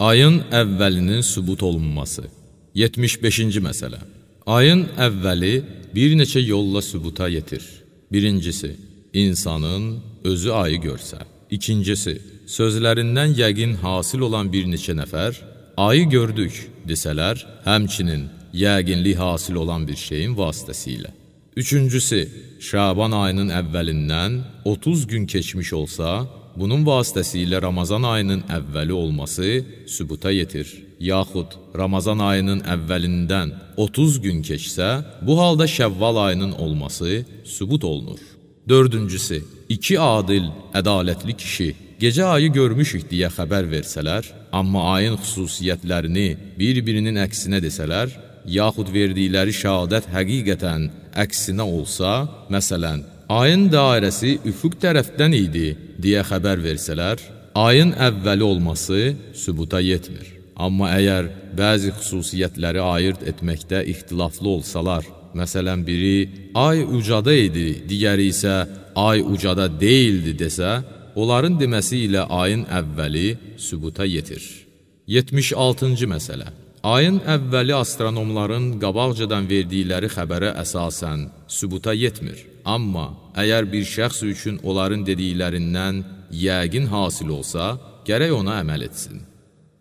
Ayın əvvəlinin sübut olunması. 75-ci məsələ. Ayın əvvəli bir neçə yolla sübuta yetir. Birincisi, insanın özü ayı görsə. İkincisi, sözlərindən yəqin hasil olan bir neçə nəfər, ayı gördük desələr, həmçinin yəqinlik hasil olan bir şeyin vasitəsilə. Üçüncüsü, Şaban ayının əvvəlindən 30 gün keçmiş olsa, bunun vasitəsilə Ramazan ayının əvvəli olması sübuta yetir. Yaxud Ramazan ayının əvvəlindən 30 gün keçsə, bu halda Şəvval ayının olması sübut olunur. Dördüncüsü, iki adil, ədalətli kişi gecə ayı görmüşük deyə xəbər versələr, amma ayın xüsusiyyətlərini bir-birinin əksinə desələr, yaxud verdikləri şəhadət həqiqətən əksinə olsa, məsələn, ayın dairəsi üfüq tərəfdən idi deyə xəbər versələr, ayın əvvəli olması sübuta yetmir. Amma əgər bəzi xüsusiyyətləri ayırt etməkdə ixtilaflı olsalar, məsələn, biri ay ucada idi, digəri isə ay ucada deyildi desə, onların deməsi ilə ayın əvvəli sübuta yetir. 76-cı məsələ. Ayın əvvəli astronomların qabaqcadan verdikləri xəbərə əsasən sübuta yetmir. Amma əgər bir şəxs üçün onların dediklərindən yəqin hasil olsa, gərək ona əməl etsin.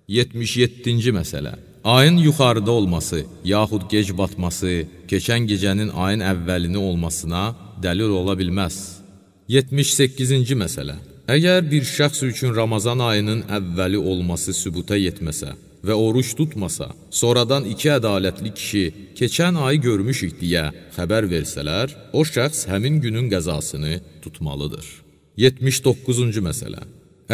77-ci məsələ. Ayın yuxarıda olması, yaxud gec batması, keçən gecənin ayın əvvəlini olmasına dəlil ola bilməz. 78-ci məsələ. Əgər bir şəxs üçün Ramazan ayının əvvəli olması sübuta yetməsə və oruç tutmasa, sonradan iki ədalətli kişi keçən ayı görmüşük deyə xəbər versələr, o şəxs həmin günün qəzasını tutmalıdır. 79-cu məsələ.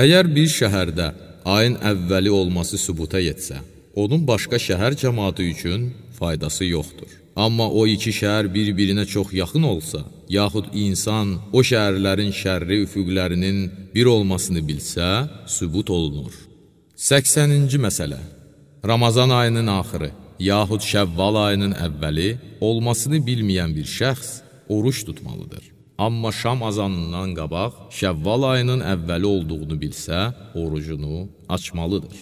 Əgər bir şəhərdə ayın əvvəli olması sübuta yetsə, onun başqa şəhər cəmaatı üçün faydası yoxdur. Amma o iki şəhər bir-birinə çox yaxın olsa, yaxud insan o şəhərlərin şərri üfüqlərinin bir olmasını bilsə, sübut olunur. 80-ci məsələ. Ramazan ayının axırı, yaxud Şəvval ayının əvvəli olmasını bilməyən bir şəxs oruç tutmalıdır. Amma şam azanından qabaq Şəvval ayının əvvəli olduğunu bilsə, orucunu açmalıdır.